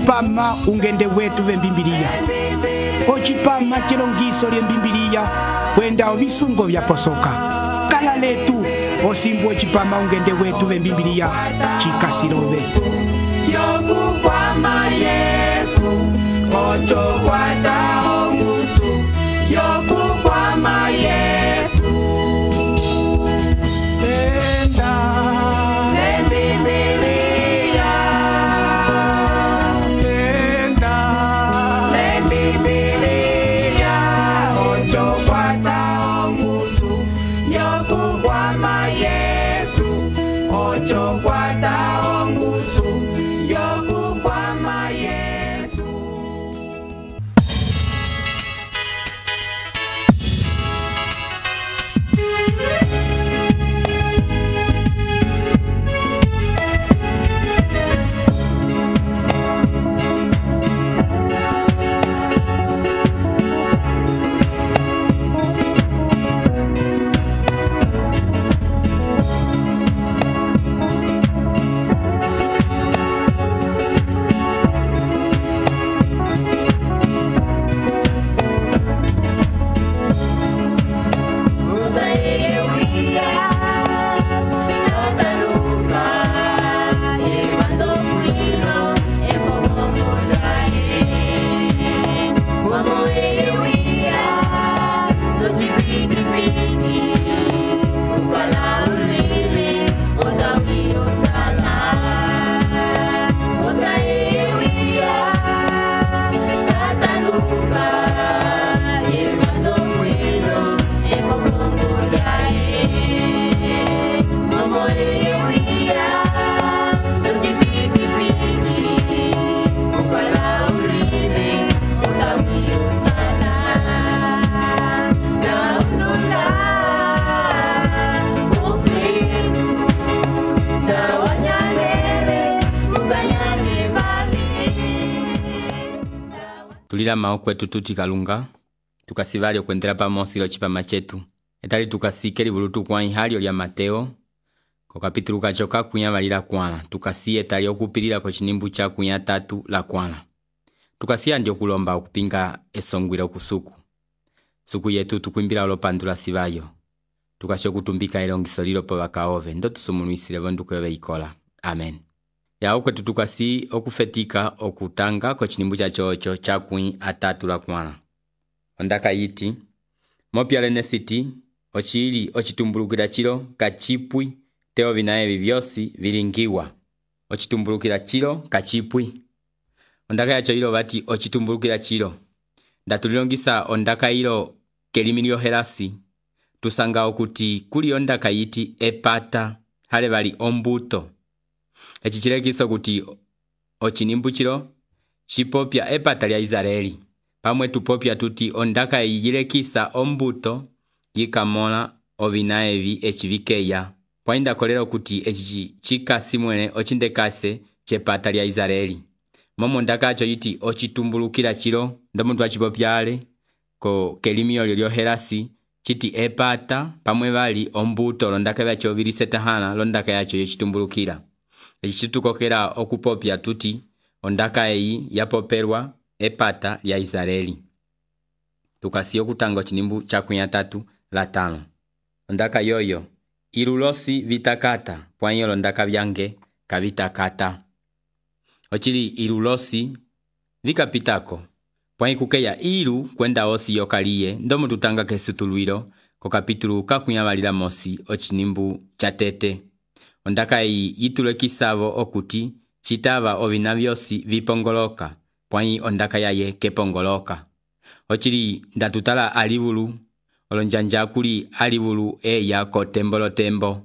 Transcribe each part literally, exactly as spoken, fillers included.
ocipama ungende wetu vembimbiliya, ocipama chilongiso lyembimbiliya kwenda ovisungo vyaposoka. Kala letu osimbu ocipama ungende wetu vembimbiliya chikasilove. Yokukwama Yesu, ocho kwata ongusu. Yokukwama Yesu, Enda Lembibilia, enda Lembibilia, ocho kwata ongusu. Yokukwama Yesu, ocho kwata ongusu. Yokukwama Yesu. Tulila mao kwetu tuti kalunga, tukasivali okwendela pamosi lo chipama chetu. Etali tukasike livulutu kwa inhalio lya Mateo, ko kapitulu kachoka kunya valila kwana. Tukasi etali okupilila ko chinimbu cha kunya tatu la kwana. Tukasi andi okulomba okupinga esongwila okusuku. Suku yetu tukuimbila olopandula sivayo. Tukasi okutumbika elongiso lilo po bakaove. Ndo tusumunuisile vonduko yobe ikola. Amen. Ya okwetu tukasi okufetika okutanga ko chinimbu cha chocho cha kunya atatu la kwana. Ondaka yiti, mopya lenesiti, ochili ochitumbulukila chilo kachipwi, teo vinaevi vyosi vilingiwa. Ochitumbulukila chilo kachipwi. Ondaka yacho ilo bati ochitumbulukila chilo. Ndatulilongisa ondaka ilo kelimilio helasi. Tusanga okuti kuli ondaka yiti epata, hale bali ombuto. Echichilekiso kuti ochinimbu chilo, chipopya epata lya Israeli. Pamwe tupopya tuti ondaka yijilekisa ombuto, yikamola ovinaevi echivikeya. Pwainda kolelo kuti echichi chikasi mwene ochindekase chepata lya Israeli. Momo ondaka acho yiti ochitumbulukila chilo, ndomuntu wachipopyale, ko kelimio lyo helasi, chiti epata, pamwe bali ombuto, londaka yacho vilisetahana, londaka yacho yochitumbulukila. Echitukokela okupopya tuti ondaka eyi yapoperwa epata lya Israeli. Tukasi okutanga chinimbu cha kunya tatu la tano. Ondaka yoyo ilulosi vitakata, pwanyo londaka vyange kavitakata. Ochili ilulosi vikapitako, pwanyi kukeya ilu kwenda osi yokaliye, ndomu tutanga kesutuluilo ko kapitulu kakunya valila mosi ochinimbu cha tete. Ondaka yi yitulekisavo okuti chitava ovina vyosi vipongoloka, pwanyi ondaka yaye kepongoloka. Ochili ndatutala alivulu, olonjanja kuli alivulu eya ko tembolo tembo.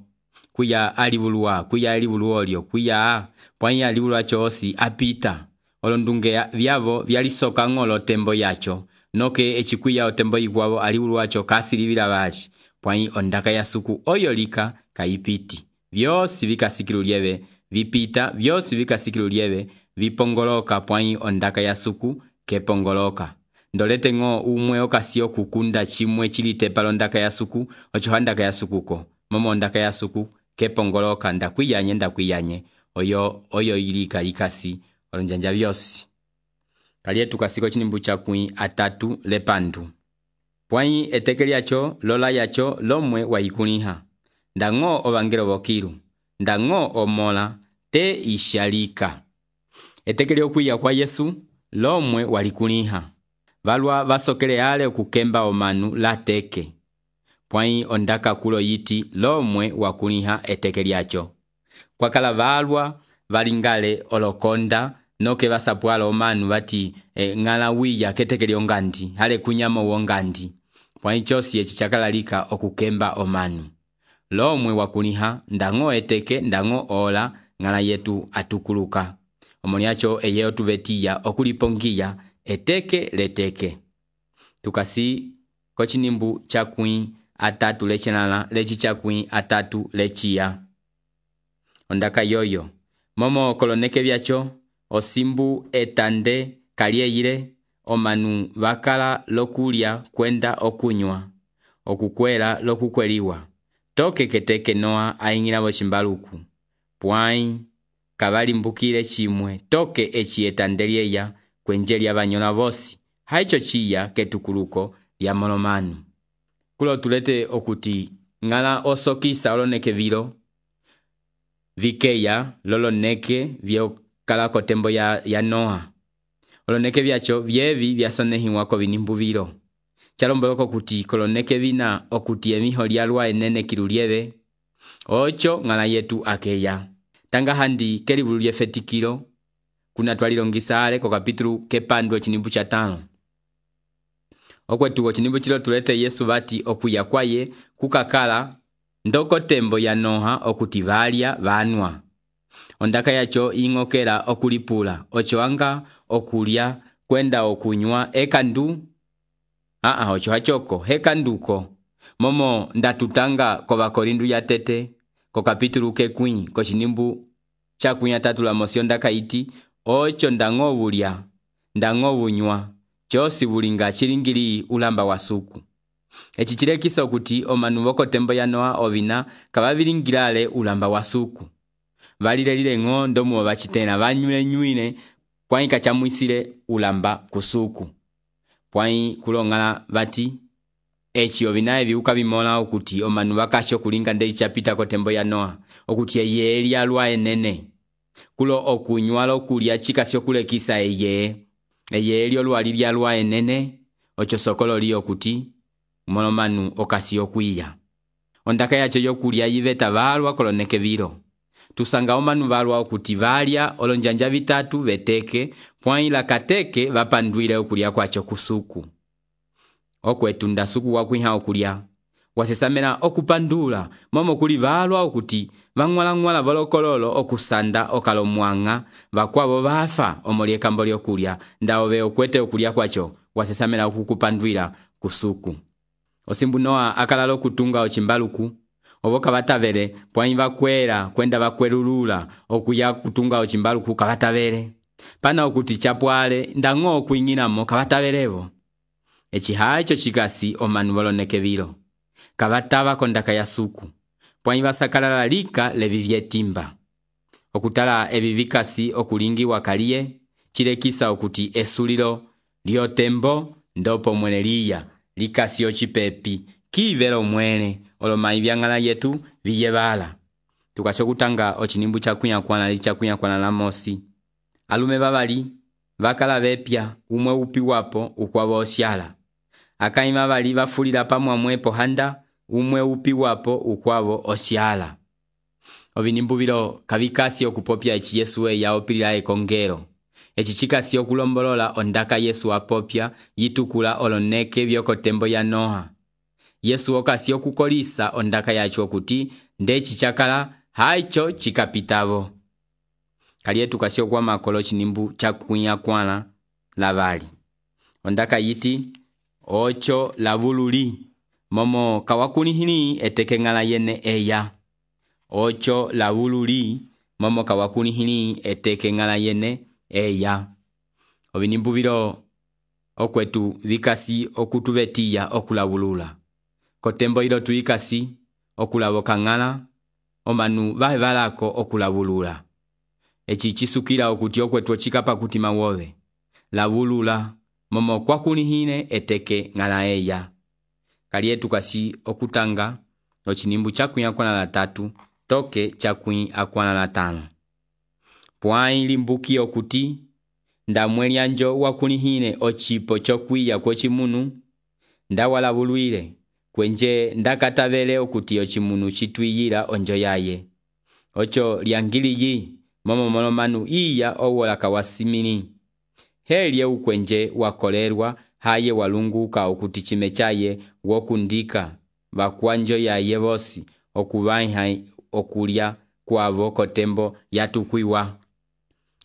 Kuya alivulu wa, kuya alivulu olio, kuya pwanyi alivulu acho osi apita. Olondunge vyavo vyalisoka ngolo tembo yacho, noke echikuya o tembo igwavo alivulu acho kasilivila vali. Pwanyi ondaka ya suku oyolika kaipiti. Vyosi vikasikilu lieve, vipita, vyosi vikasikilu lieve, vipongoloka pwanyi ondaka ya suku kepongoloka. Ndolete ngo umwe okasio kukunda chimwe chilitepa londaka ya suku, ocho handaka ya sukuko. Momo ondaka ya suku kepongoloka ndakwiyanye ndakwiyanye, oyo oyo ilika ikasi olonjanja vyosi Kaliye tukasiko chinimbu chakwi atatu lepandu. Pwai eteke lyacho lola yacho lomwe waikuliha. Ndango ovangelo vokilu. Ndango omola te ishalika. Eteke lyokuya kwa Yesu lomwe walikuliha. Valwa vasokele ale okukemba omanu la teke. Pwai ondaka kulo yiti lomwe wakuliha eteke lyacho. Kwa kala valwa valingale olokonda noke vasapwala omanu vati e, ngala wiya keteke lyongandi hale kunyama wongandi. Pwai chosi echi chakalalika okukemba omanu. Lomwe wakuliha ndango eteke ndango ola ngala yetu atukuluka. Omoniacho eyeo tuvetiya okulipongiya eteke leteke. Tukasi kochinimbu chakwi atatu lechenala lechi chakwi atatu lechia. Ondaka yoyo. Momo koloneke vyacho osimbu etande kalieile omanu vakala lokulia kwenda okunywa. Okukwela lokukweliwa. Toke keteke noa aingila chimbaluku. Pwai kavali mbukile chimwe toke echi etandelieya kwenjeli abanyola vosi. Haicho chiya ketukuluko ya molomanu. Kulo tulete okuti ngala osokisa oloneke vilo. Vikeya loloneke vyo kalako tembo ya, ya Noa. Oloneke vyacho vyevi vyasonehi wako vinimbu vilo. Chalomboloko kuti koloneke vina okuti emiho lialwa enene kilulieve. Ocho ngala yetu akeya. Tanga handi kelivulu lyefetikilo. Kuna twalilongisa ale kwa kapitulu kepandu chinimbu cha tano. Okwetu chinimbu chilo tulete Yesu vati okuya kwaye kukakala ndoko tembo ya Noha okuti valia vanwa. Ondaka yacho ingokela okulipula. Ocho anga okulia kwenda okunywa ekandu. Aa ocho hachoko hekanduko. Momo ndatutanga kwa korindu ya tete. Kwa kapitulu kekwi kwa chinimbu chakwi ya tatu la mosio ndaka iti. Ocho ndango vulia. Ndango vunywa. Chosi vulinga chilingili ulamba wasuku. Echi chilekisa okuti omanu voko tembo ya Noa ovina kavavilingilale ulamba wasuku. Valile lile ngo ndomu wabachitena vanyule nyuine pwai kachamuisile ulamba kusuku. Pwai kulongala vati echi ovinae viuka vimola okuti omanu vakasho kulinga ndeli chapita ko tembo ya Noa okuti eye eli alwa enene. Kulo okunywa kulia chikasyo kulekisa eye eye eli olwali alwa enene ocho sokolo li okuti molomanu okasiyo kuiya. Ondaka yacho yokulia yiveta valwa koloneke vilo. Tusanga omanu valwa okuti valia olonjanja vitatu veteke pwai la kateke vapanduile okulia kwacho kusuku. Okwetu ndasuku wakwiha okulia. Wasesamela okupandula momo kuli valwa okuti vangwala ngwala volokololo okusanda okalomwanga vakwavo vafa omolie kambolio kulia ndaove okwete okulia kwacho wasesamela okukupanduila kusuku. Osimbu Noa akalalo kutunga ochimbaluku. Ovoka vatavele pwai vakwela kwenda vakwelulula okuya kutunga ochimbaluku kavatavele. Pana okuti chapwale ndango okuingilamo kavatavelevo. Echi haicho chikasi omanu voloneke vilo. Kavatava kondaka ya suku. Pwai vasakalala lika levi vyetimba. Okutala evi vikasi okulingi wakalie. Chilekisa okuti esulilo liotembo ndopo mweneliya. Likasi ochipepi. Kivelo mwene. Oloma ivyangala yetu viyevala. Tukasho kutanga ochinimbu chakunya kwana li chakunya kwana la mosi. Alume vavali. Vakala vepya. Umwe upi wapo ukwavo osyala. Akaima vali vafulila pamwa mwepo handa. Umwe upi wapo ukwavo osyala. Ovinimbu vilo kavikasi okupopya echi Yesu ya opilila ekongero. Echi chikasi okulombolola ondaka Yesu apopya yitukula oloneke vyoko tembo ya Noha. Yesu okasi okukolisa ondaka yacho okuti ndechi chakala haicho chikapitavo. Kalietu kasi okwa makolo chinimbu chakunya kwana lavali. Ondaka yiti ocho lavululi. Momo kawakunihini eteke ngala yene eya. Ocho lavululi. Momo kawakunihini eteke ngala yene eya. Ovinimbu vilo okwetu vikasi okutuvetiya okulavulula. Kotembo ilo tuikasi okulavoka ngala. Omanu vahe valako okulavulula. Echi chisukila okuti okwetu ochikapa kutima wove. lavulula momo kwakulihine eteke ng'ala eya. Kaliye tukasi okutanga ochinimbu chakwi akwana la tatu toke chakwi akwana la tano. Pwai limbuki okuti ndamweli anjo wakulihine ochipo chokwiya kwochimunu ndawalavuluile kwenje ndakatavele okuti ochimunu chitwiyila onjo yaye. Ocho liangiliyi momo molomanu iya owola kawasimini. Helye ukwenje wakolerwa haye walunguka okuti chime chaye wokundika bakwanjo yaye vosi okuvaiha okulya kwavo kotembo yatukwiwa.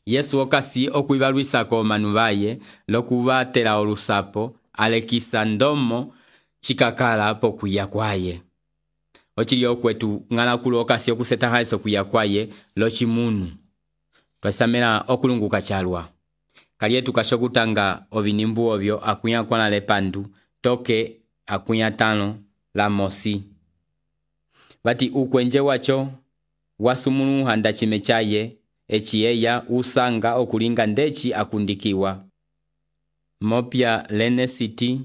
Yesu okasi okwivalwisako manu baye lokuvatela olusapo alekisa ndomo chikakala pokuya kwaye. Ochilio kwetu ngala kulo okasi okuseta haiso kuya kwaye lochimunu. Twasamela okulunguka chalwa. Kaliye tukashokutanga ovinimbu ovyo akuya kwana lepandu toke akuya tano la mosi. Bati ukwenje wacho wasumunu handa chime chaye echiyeya usanga okulinga ndechi akundikiwa. Mopya lene city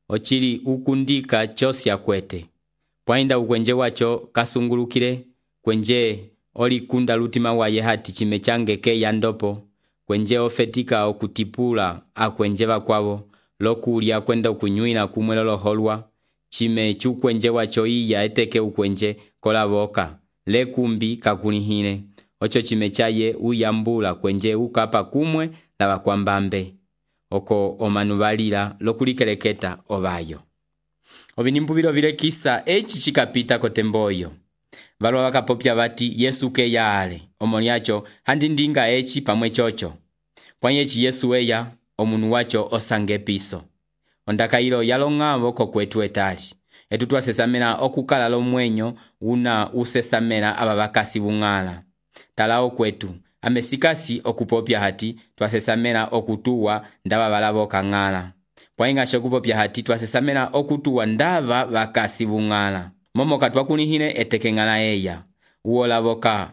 ochili ukundika chosi akwete. Pwainda ukwenje wacho kasungulukile kwenje oli kunda lutima waye hati chime change ke yandopo kwenje ofetika okutipula akwenje bakwavo lokulia kwenda okunyuina kumwelolo holwa chime chukwenje wacho iya eteke ukwenje kolavoka lekumbi kakulihine ocho chime chaye uyambula kwenje ukapa kumwe la bakwambambe oko omanuvalila lokulikeleketa ovayo. Ovinimbu vilo vile kisa echi chikapita kotemboyo. Valwa wakapopya bati Yesu ke yaale omoniacho handindinga echi pamwe chocho. Pwanyechi Yesu eya omunu wacho osange piso. Ondaka ilo yalongavo kokwetu etali. Etu twasesamela okukala lo mwenyo una usesamela ababakasi bungala. Talao kwetu amesikasi okupopya hati twasesamela okutuwa ndaba balavo kangala. Pwainga shokupopya hati twasesamela okutuwa ndaba bakasi bungala. Momo katwa kunihine eteke ngala eya. Uolavoka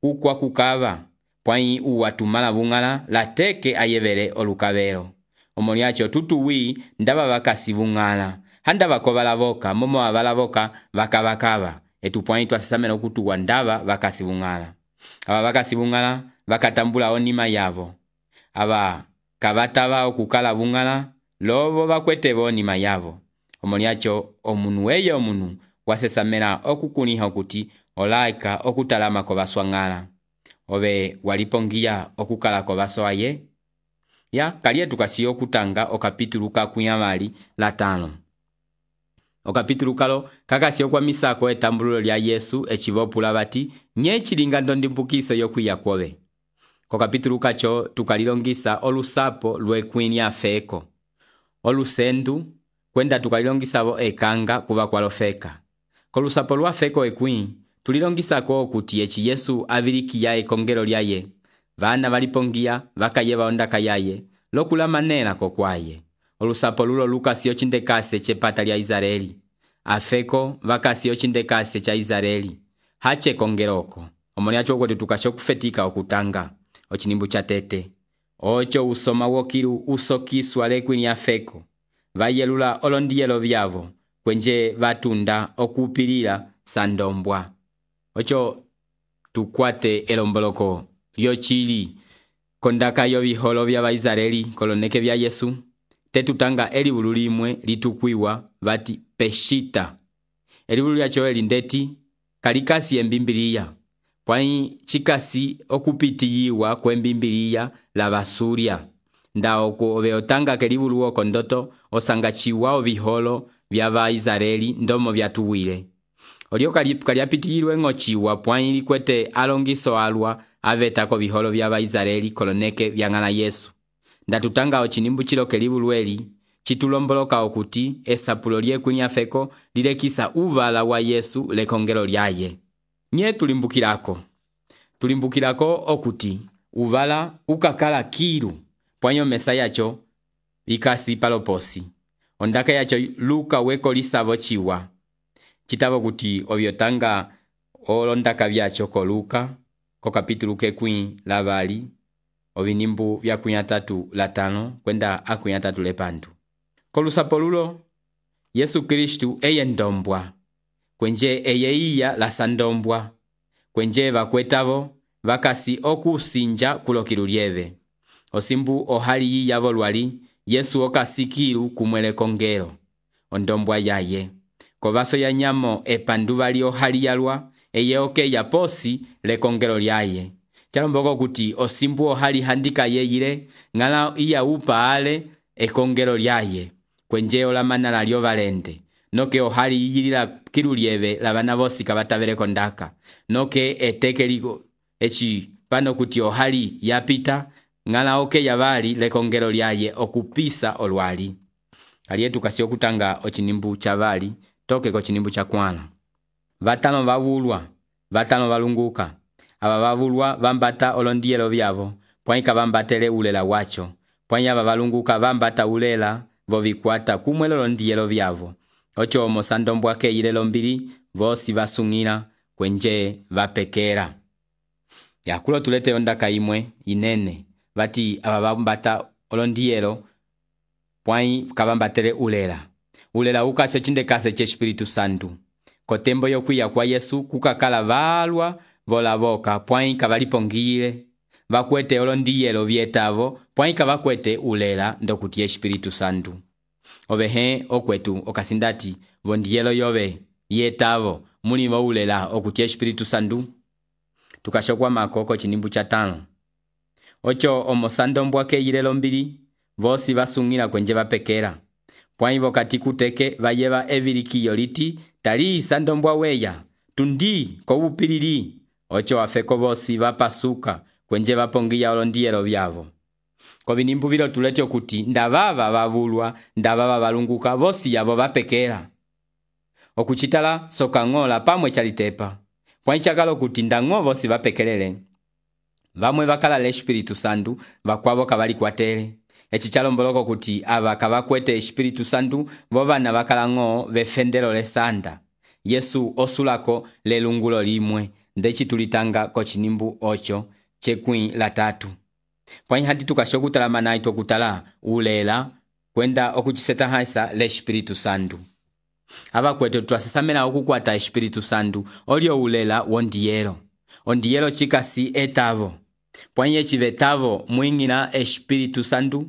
ukwa kukava. Pwaingi uwatumala bungala lateke ayevele olukavero. Omoniacho tutuwi ndaba bakasi bungala. Handa bakobalavoka momo abalavoka bakabakava. Etu pwaingi twasesamela okutuwa ndaba bakasi bungala. Aba bakasi bungala bakatambula onima yavo. Aba kabataba okukala bungala lobo bakwete onima yavo. Omoniacho omunu eye omunu wasesamela okukuniha okuti olaika okutalama ko baswangala. Obe walipongia okukala ko basoaye. Ya kaliye tukasi okutanga okapitulu kakuyamali la tano. Okapitulu kalo kakasi okwa misako etambululo lya Yesu echivopula bati nye chilinga ndondimbukiso yokuya kwobe. Kokapitulu kacho tukalilongisa olusapo lwekwini afeko. Olusendu kwenda tukalilongisa bo ekanga kuba kwalofeka. Kolusapo lwafeko ekwi tulilongisa ko okuti echi Yesu avilikiya ekongelo lyaye. Vana valipongia vakayeba ondaka yaye lokula manela kokwaye. Olusapo lulo lukasi ochindekase chepata lya Israeli. Afeko vakasi ochindekase cha Israeli. Hache kongeroko. Omoniacho kwetu tukashokufetika okutanga. Ochinimbu cha tete. Ocho usoma wokiru usokiswa lekwini afeko. Vayelula olondiyelo vyavo. Kwenje vatunda okupilila sandombwa. Ocho tukwate elomboloko yochili kondaka yoviholo vya Vaisraeli koloneke vya Yesu. Tetutanga elibulu limwe litukwiwa vati peshita. Elibulu lyacho elindeti kalikasi embimbiliya. Pwai chikasi okupitiyiwa kwembimbiliya la basuria. Nda oko obeotanga kelibulu woko ndoto osanga chiwa oviholo vya Vaisraeli ndomo vya tuwile. Olio kaliapitiyilwe ngochiwa pwai likwete alongiso alwa avetako viholo vya Vaisraeli koloneke vya ngala Yesu. Ndatutanga ochinimbu chilo kelibulu eli chitulomboloka okuti esapulo lyekwini afeko lilekisa uvala wa Yesu lekongelo lyaye. Nye tulimbukirako. Tulimbukirako okuti uvala ukakala kiru pwanyo mesa yacho ikasi paloposi. Ondaka yacho luka weko lisavo chiwa. Chitavo kuti ovyotanga olondaka vyacho ko luka ko kapitulu kekwi lavali ovinimbu vya kunya tatu la tano kwenda akunya tatu lepandu. Kolusapo lulo Yesu Kristu eye ndombwa, kwenje eye iya la sandombwa, kwenje vakwetavo vakasi okusinja kulokilu lyeve. Osimbu ohali yiyavo lwali Yesu okasikilu kumwele kongelo ondombwa yaye. Kovaso ya nyamo epanduva li ohali yalwa eye oke ya posi le kongelo lyaye. Chalomboko kuti osimbu ohali handika yeyile ngala iya upa ale ekongelo lyaye. Kwenje olamana lyo valende. Noke ohali yiyilila kilu lyeve la vana vosi kavatavele kondaka. Noke etekeliko echi pano kuti ohali yapita ngala oke ya vali le kongelo lyaye okupisa olwali. Kalietu kasi okutanga ochinimbu chavali toke ko chinimbu cha kwana. Vatano vavulwa, vatano valunguka. Aba vavulwa vambata olondielo vyavo, pwaika vambatele ulela wacho. Pwanya vavalunguka vambata ulela vovikwata kumwelo londielo vyavo. Ocho omosandombwa ke ilelo mbili vosi vasungina kwenje vapekera. Ya kulo tulete ondaka imwe inene vati aba vambata olondielo pwai kavambatele ulela. Ulela ukase chinde kase che Espiritu Santu. Kotembo yokuya kwa Yesu kukakala valwa vola voka pwai kavalipongile vakwete olondielo vietavo pwai kavakwete ulela ndokuti Espiritu Santu. Ovehe okwetu okasindati vondielo yove yetavo muni vo ulela okuti Espiritu Santu. Tukashokwa makoko chinimbu cha tano. Ocho omosandombwa ke ilelo mbili vosi vasungila kwenje vapekera. Pwai vokati kuteke vayeva evilikiyo liti tali sandombwa weya tundi kovupilili. Ocho afeko vosi vapasuka kwenje vapongia olondielo vyavo. Kovinimbu vilo tulete okuti ndavava vavulwa ndavava valunguka vosi yavo vapekera. Okuchitala soka ngola pamwe chalitepa. Pwai chakalo kuti ndango vosi vapekelele. Vamwe vakala le Espiritu Santu vakwavo kavali kwatele. Echi chalomboloko kuti ava kavakwete Espiritu Santu vovana vakala ngo vefendelo le sanda. Yesu osulako le lungulo limwe ndechi tulitanga kochinimbu ocho chekwi la tatu. Pwai hadi tukashokutala manaito kutala ulela kwenda okuchiseta haisa le Espiritu Santu. Ava kwetu tuasesamela okukwata Espiritu Santu olio ulela wondielo. Ondielo chikasi etavo. Pwai echivetavo mwingina Espiritu Santu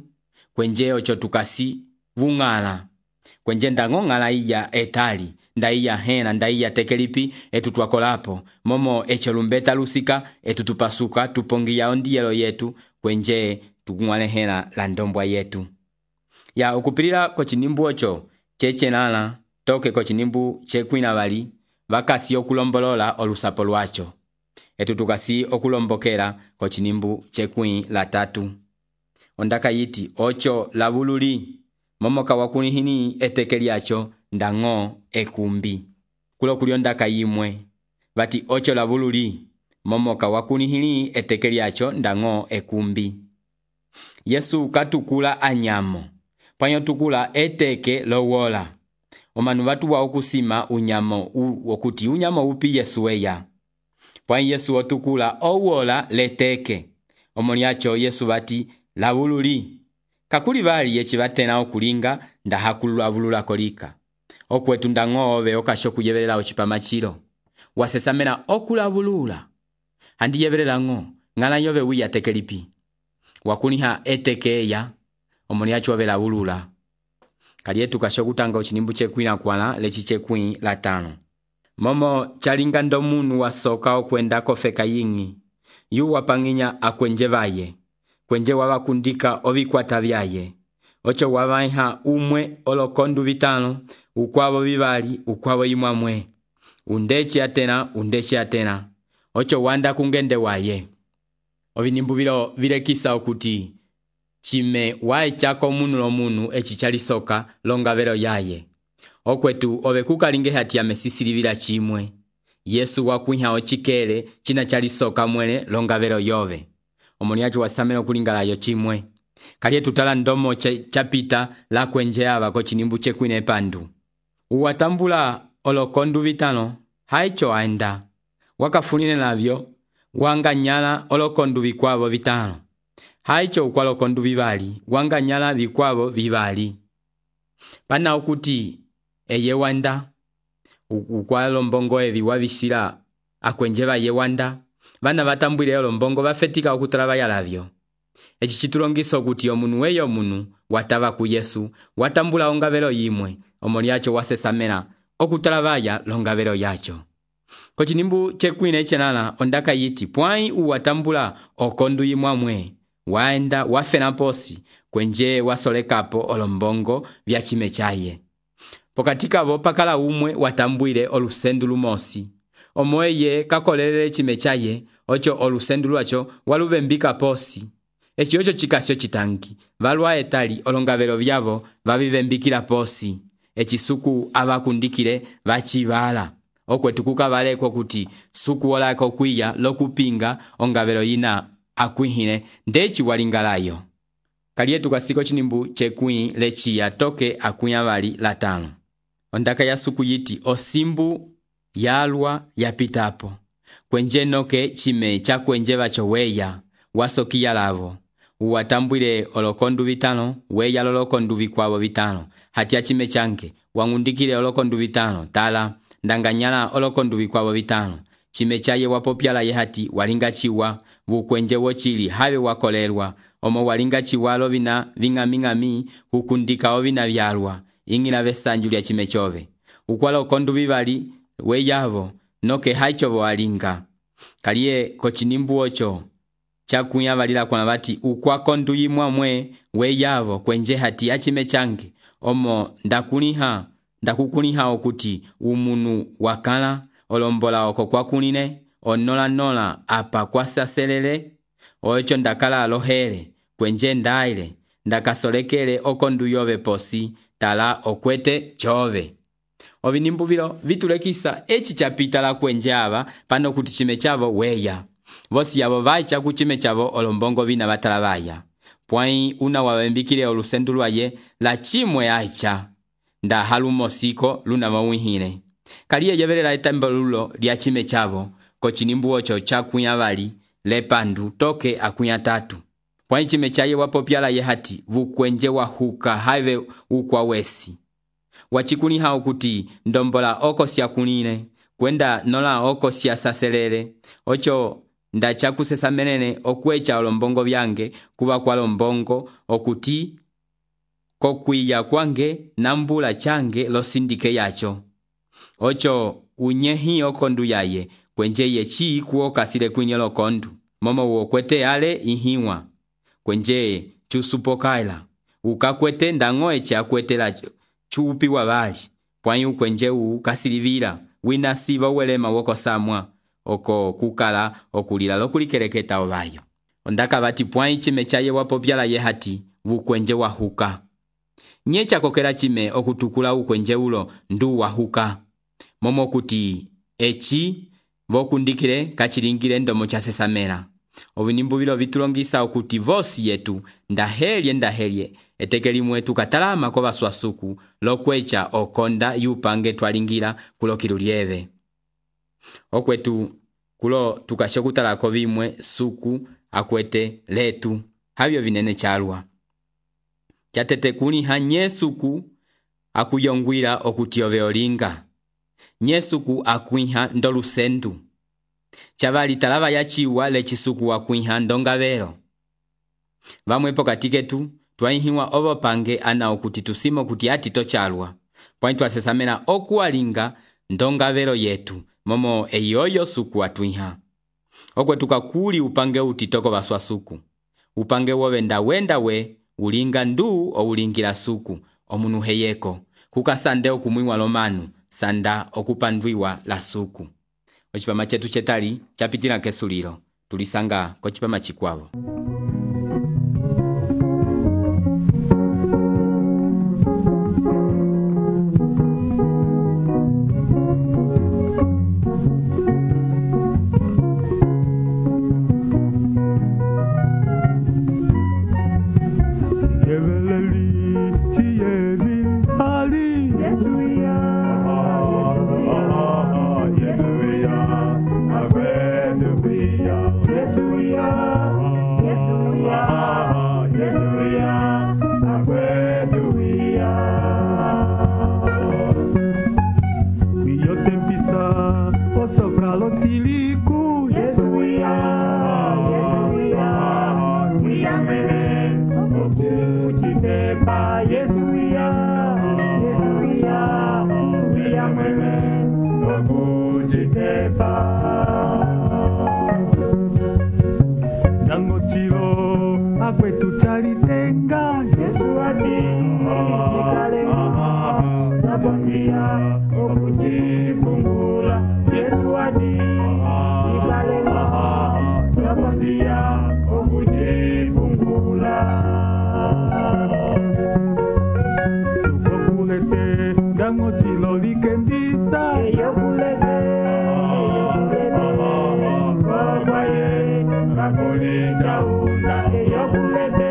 kwenje ocho tukasi vungala. Kwenje ndango ngala iya etali, nda iya hena, nda iya tekelipi etu tuakolapo. Momo echelumbeta lusika etu tupasuka tupongia ondielo yetu kwenje tukungwale hena la ndombwa yetu. Ya okupilila kochinimbu ocho cheche nala toke kochinimbu chekwina vali vakasi okulombolola olusapo lwacho. Etu tukasi okulombokera kochinimbu chekwi la tatu. Ondaka yiti ocho lavululi momoka wakunihini etekeli acho ndango ekumbi. Kulo kuliondaka yimwe vati ocho lavululi momoka wakunihini etekeli acho ndango ekumbi. Yesu katukula anyamo panyo tukula eteke lowola. Omanu vatu wa okusima unyamo wokuti unyamo upi Yesu weya. Pwai Yesu otukula owola leteke. Omoniacho Yesu vati lavululi. Kakuli vali yechi vatena okulinga ndahakulu avulula kolika. Okwetu ndango ove okashoku yevelela ochipamachiro. Wasesamena okulavulula. Handi yevelela ngo ngala yove wia tekelipi. Wakuniha etekeya omoniacho ove lavulula. Kalietu kashoku tanga ochinimbu chekwi na kwala lechi chekwi la tano. Momo chalinga ndomunu wasoka okwenda kofeka yingi. Yu wapanginya akwenje vaye. Kwenje wavakundika ovikwata vyaye. Ocho wavaiha umwe olokondu vitano. Ukwavo vivali, ukwavo imwamwe. Undechi atena, undechi atena. Ocho wanda kungende waye. Ovinimbu vilo vile kisa okuti. Chime wae chako munu lo munu echichali soka longa vero yaye. Okwetu ovekuka linge hati ya mesisiri vila chimwe. Yesu wakuiha ochikele china chali soka mwele longa vero yove. Omoniacho wasameno kulingala yo chimwe. Kalie tutala ndomo chapita la kwenje ava kochinimbu chekwine pandu. Uwatambula olokondu vitano haicho aenda. Wakafunine navyo wanga nyala olokondu vikwavo vitano. haicho ukwalo kondu vivali wanganyala vikwavo vivali pana okuti eye wanda ukwalo mbongo evi wavisila akwenjeva ye wanda vana vatambwile yolo mbongo vafetika okutala vayalavyo. Eci chitulongisa okuti omunu weyo omunu watava ku Yesu watambula ongavelo yimwe omoli yacho wasesamela okutala vaya longavelo yacho. Kochinimbu chekwine chenala ondaka yiti pwai uwatambula okondu yimwamwe waenda wafena posi kwenje wasolekapo olombongo vya chime chaye. Pokatika vo pakala umwe watambwile olusendu lumosi omoye kakolele chime chaye ocho olusendu lwacho waluvembika posi. Echi ocho chikasyo chitangi valwa etali olongavelo vyavo vavivembikila posi. Echi suku avakundikile vachivala okwetukuka valeko kuti suku olako kwiya lokupinga ongavelo yina akwihile ndechi walingalayo. Kalietu kasiko chinimbu chekwi lechi ya toke akuya vali latano. Ondaka ya suku yiti osimbu yalwa yapitapo kwenje noke chime cha kwenje vacho weya wasokia lavo uwatambwile olokondu vitano weya lolokondu vikwavo vitano hatia chime chanke wangundikile olokondu vitano tala ndanganyala olokondu vikwavo vitano chime chaye wapopyala ye hati walinga chiwa vukwenje wochili have wakolelwa omo walinga chiwalo vina ving'aming'ami hukundika ovina vyalwa ingila vesanju lya chime chove ukwala okondu vivali weyavo noke haichovo walinga. Kalie kochinimbu ocho chakuya valila kwa vati ukwakondu yimwamwe weyavo kwenje hati achime change omo ndakuniha ndakukuniha okuti umunu wakala olombola oko kwakunine onola nola apa kwasaselele ocho ndakala alohele kwenje ndaile ndakasolekele okondu yove posi tala okwete chove. Ovinimbu vilo vitulekisa echi chapita la kwenje ava pano kuti chime chavo weya vosi yavo vaicha kuchime chavo olombongo vina vatala vaya pwai una wawembikile olusendu lwaye la chimwe aicha nda halumosiko luna mawihile. Kalie yevelela etambolulo lya chime chavo kochinimbu ocho chakuya vali lepandu toke akuya tatu pwai chime chaye wapopyala ye hati vukwenje wahuka have ukwa wesi wachikuni hao kuti ndombola oko siya kunine kwenda nola oko siya saselele ocho ndachakusesa menene okwecha olombongo vyange kuva kwa lombongo okuti kokwiya kwange nambula change losindike yacho ocho unyehi okondu yaye kwenje yechi kuoka sile kwinye lokondu momo uokwete ale ihiwa kwenje chusupokaila ukakwete ndangoe cha kwete lacho chupi wa vali pwai ukwenje u kasilivila wina siva uwelema woko samwa oko kukala okulila lokulikereketa ovayo. Ondaka vati pwai chime chaye wapopyala ye hati vukwenje wahuka nyecha kokela chime okutukula ukwenje ulo ndu wahuka momo kuti echi vokundikile kachilingile ndomo cha sesamela. Ovinimbu vilo vitulongisa okuti vosi yetu ndahelye ndahelye etekeli mwetu katalama kwa swasuku lokwecha okonda yupange twalingila kulokilu lieve. Okwetu kulo tukashokutala ko vimwe suku akwete letu havyo vinene chalwa. Chatete kuni ha nyesuku akuyongwila okuti ove olinga. Nyesuku akuiha ndolusendu. Chavali talava ya chiwa lechisuku wakuiha ndongavelo. Vamwepo katiketu twaihiwa ovo pange ana okuti tusimo kuti ati tochalwa. Pwaitu asesamena okuwalinga ndongavelo yetu momo eyoyo suku atuiha. Okwe tukakuli upange utitoko baswa suku. Upange wovenda wenda we ulinga ndu o ulingila suku omunu heyeko. Kukasande okumuiwa lomanu sanda okupandwiwa la suku. Ochipama chetu chetali chapitila kesulilo tulisanga kochipama chikwavo. Yes, we are. Yes, we are. Biblia okujifungula Yesu ati ikalema Biblia okujifungula Sukokulete dango chilo likembisa Eyokulete Kobaye Kakuli chaunda Eyokulete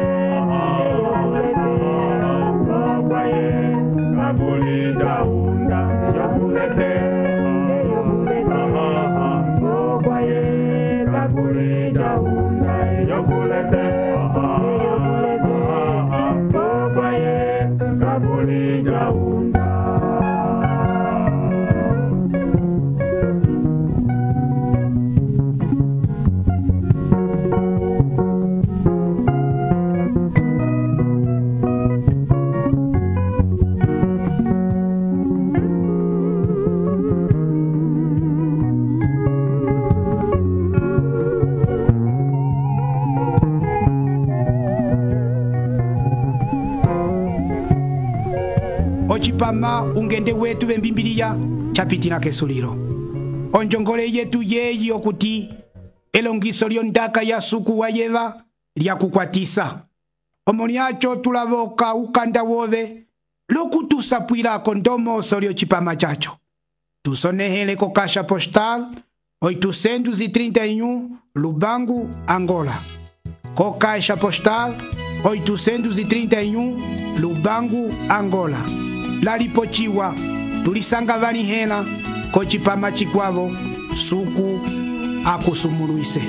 Kabuli daunda, yokulete, yokulete, kobaye, kabuli daunda, yokulete, yokulete, kobaye, kabuli daunda. Ochipama ungende wetu bembimbiriya chapitina kesuliro onjongole yetu yeyi okuti elongiso lyondaka ya suku wa yeva lyakukwatisa omoniacho tulavoka ukanda wove lokutusapwilako ndomoso lyochipama chacho tusonehele ko kasha postal oitocentos e trinta e um Lubango, Angola. Co caixa postal oitocentos e trinta e um Lubango, Angola. Lalipochiwa tulisanga vanihela kochipama chikwavo suku akusumuluise.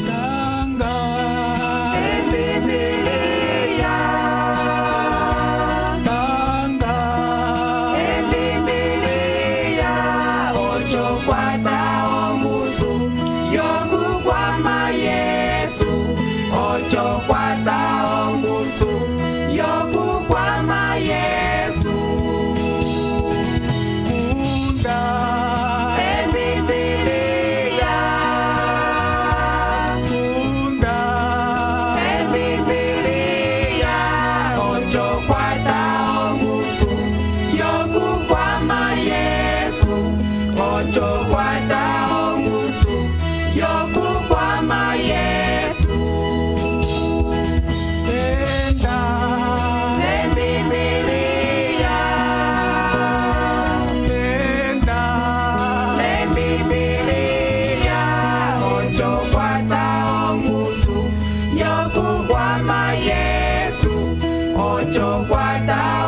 Yoku kwama Yesu, ocho kwata